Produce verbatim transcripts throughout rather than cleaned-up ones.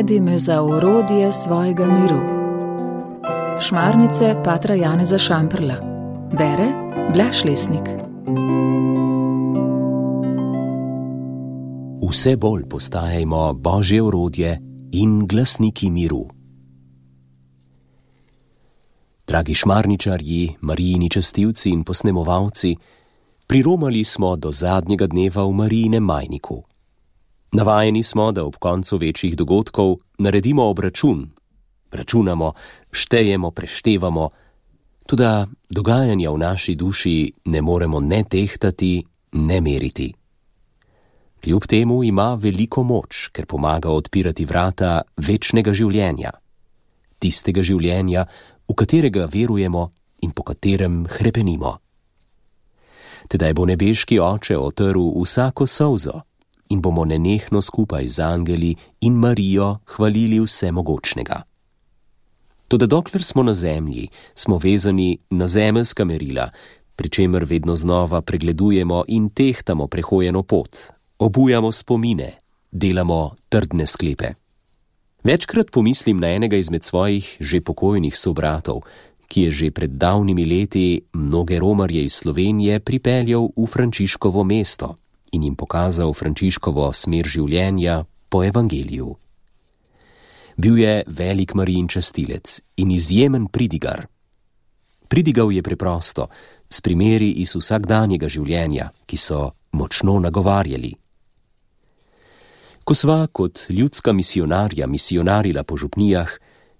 Najdi me za orodje svojega miru. Šmarnice patra Janeza Šamprla. Bere Blaž Lesnik. Vse bolj postajajmo Božje orodje in glasniki miru. Dragi šmarničarji, Marijini častilci in posnemovalci, priromali smo do zadnjega dneva v Marijinem majniku. Navajeni smo, da ob koncu večjih dogodkov naredimo obračun. Računamo, štejemo, preštevamo, toda dogajanja v naši duši ne moremo ne tehtati, ne meriti. Kljub temu ima veliko moč, ker pomaga odpirati vrata večnega življenja, tistega življenja, v katerega verujemo in po katerem hrepenimo. Tedaj bo nebeški Oče otrl vsako solzo in bomo nenehno skupaj z angeli in Marijo hvalili vsemogočnega. Toda dokler smo na zemlji, smo vezani na zemeljska merila, pri čemer vedno znova pregledujemo in tehtamo prehojeno pot, obujamo spomine, delamo trdne sklepe. Večkrat pomislim na enega izmed svojih že pokojnih sobratov, ki je že pred davnimi leti mnoge romarje iz Slovenije pripeljal v Frančiškovo mesto in jim pokazal Frančiškovo smer življenja po evangeliju. Bil je velik Marijin častilec in izjemen pridigar. Pridigal je preprosto, s primeri iz vsakdanjega življenja, ki so močno nagovarjali. Ko sva kot ljudska misionarja misionarila po župnijah,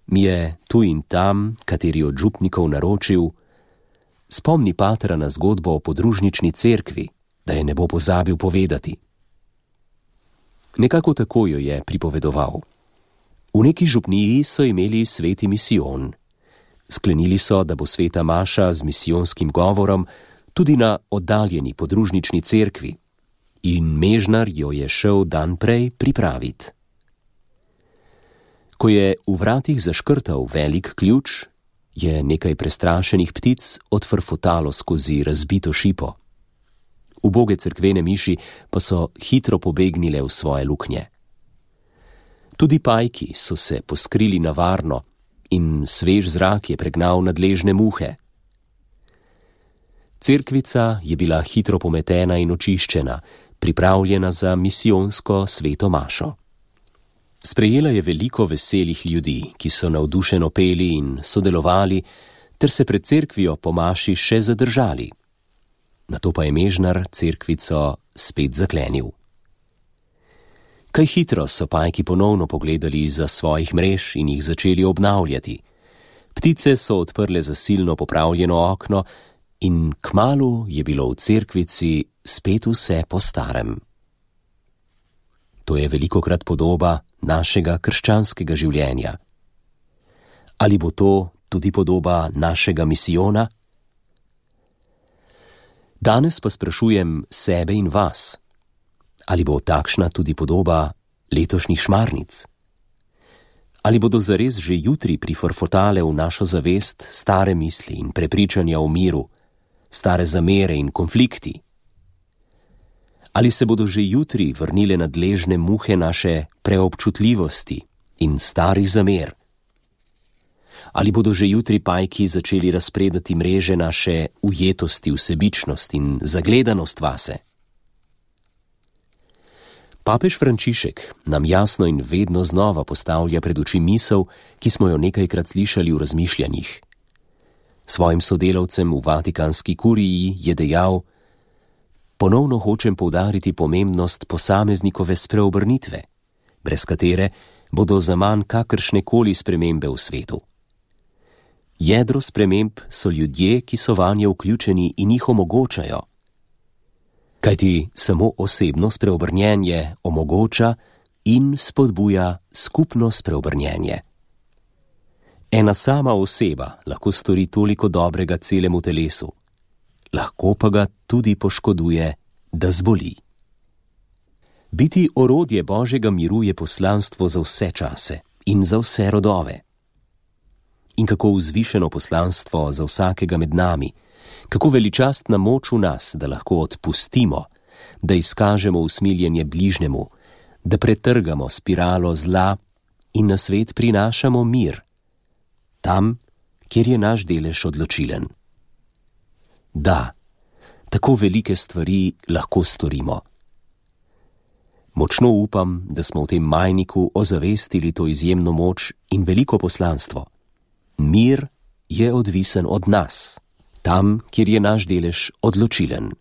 mi je tu in tam, kateri od župnikov naročil: spomni patra na zgodbo o podružnični cerkvi, da je ne bo pozabil povedati. Nekako tako jo je pripovedoval. V neki župniji so imeli sveti misijon. Sklenili so, da bo sveta maša z misijonskim govorom tudi na oddaljeni podružnični cerkvi, in mežnar jo je šel dan prej pripraviti. Ko je v vratih zaškrtal velik ključ, je nekaj prestrašenih ptic odfrfotalo skozi razbito šipo. Uboge cerkvene miši pa so hitro pobegnile v svoje luknje. Tudi pajki so se poskrili na varno in svež zrak je pregnal nadležne muhe. Cerkvica je bila hitro pometena in očiščena, pripravljena za misijonsko sveto mašo. Sprejela je veliko veselih ljudi, ki so navdušeno peli in sodelovali, ter se pred cerkvijo po maši še zadržali. Nato pa je mežnar cerkvico spet zaklenil. Kaj hitro so pajki ponovno pogledali izza svojih mrež in jih začeli obnavljati. Ptice so odprle zasilno popravljeno okno in kmalu je bilo v cerkvici spet vse po starem. To je velikokrat podoba našega krščanskega življenja. Ali bo to tudi podoba našega misijona? Danes pa sprašujem sebe in vas, ali bo takšna tudi podoba letošnjih šmarnic? Ali bodo zares že jutri priforfotale v našo zavest stare misli in prepričanja o miru, stare zamere in konflikti? Ali se bodo že jutri vrnile nadležne muhe naše preobčutljivosti in starih zamer? Ali bodo že jutri pajki začeli razpredati mreže naše ujetosti, vsebičnost in zagledanost vase? Papež Frančišek nam jasno in vedno znova postavlja pred oči misel, ki smo jo nekajkrat slišali v razmišljanjih. Svojim sodelavcem v Vatikanski kuriji je dejal: ponovno hočem poudariti pomembnost posameznikove spreobrnitve, brez katere bodo zaman kakršne koli spremembe v svetu. Jedro sprememb so ljudje, ki so vanje vključeni in jih omogočajo. Kajti samo osebno spreobrnjenje omogoča in spodbuja skupno spreobrnjenje. Ena sama oseba lahko stori toliko dobrega celemu telesu, lahko pa ga tudi poškoduje, da zboli. Biti orodje Božjega miru je poslanstvo za vse čase in za vse rodove. In kako vzvišeno poslanstvo za vsakega med nami, kako veličastna moč v nas, da lahko odpustimo, da izkažemo usmiljenje bližnjemu, da pretrgamo spiralo zla in na svet prinašamo mir, tam, kjer je naš delež odločilen. Da, tako velike stvari lahko storimo. Močno upam, da smo v tem majniku ozavestili to izjemno moč in veliko poslanstvo. Mir je odvisen od nas, tam, kjer je naš delež odločilen.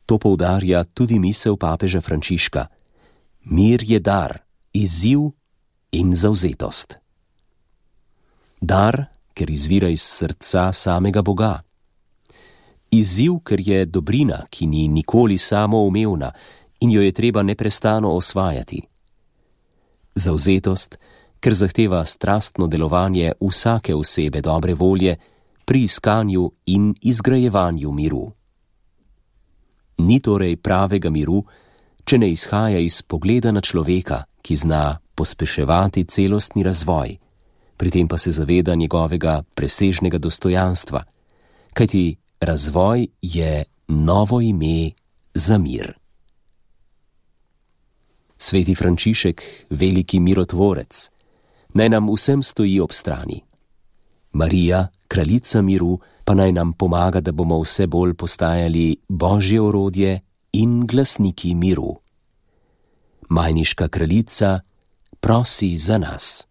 To poudarja tudi misel papeža Frančiška. Mir je dar, izziv in zavzetost. Dar, ker izvira iz srca samega Boga. Izziv, ker je dobrina, ki ni nikoli samoumevna in jo je treba neprestano osvajati. Zavzetost, ker zahteva strastno delovanje vsake osebe dobre volje pri iskanju in izgrajevanju miru. Ni torej pravega miru, če ne izhaja iz pogleda na človeka, ki zna pospeševati celostni razvoj, pri tem pa se zaveda njegovega presežnega dostojanstva, kajti razvoj je novo ime za mir. Sveti Frančišek, veliki mirotvorec, naj nam vsem stoji ob strani. Marija, kraljica miru, pa naj nam pomaga, da bomo vse bolj postajali Božje orodje in glasniki miru. Majniška kraljica prosi za nas.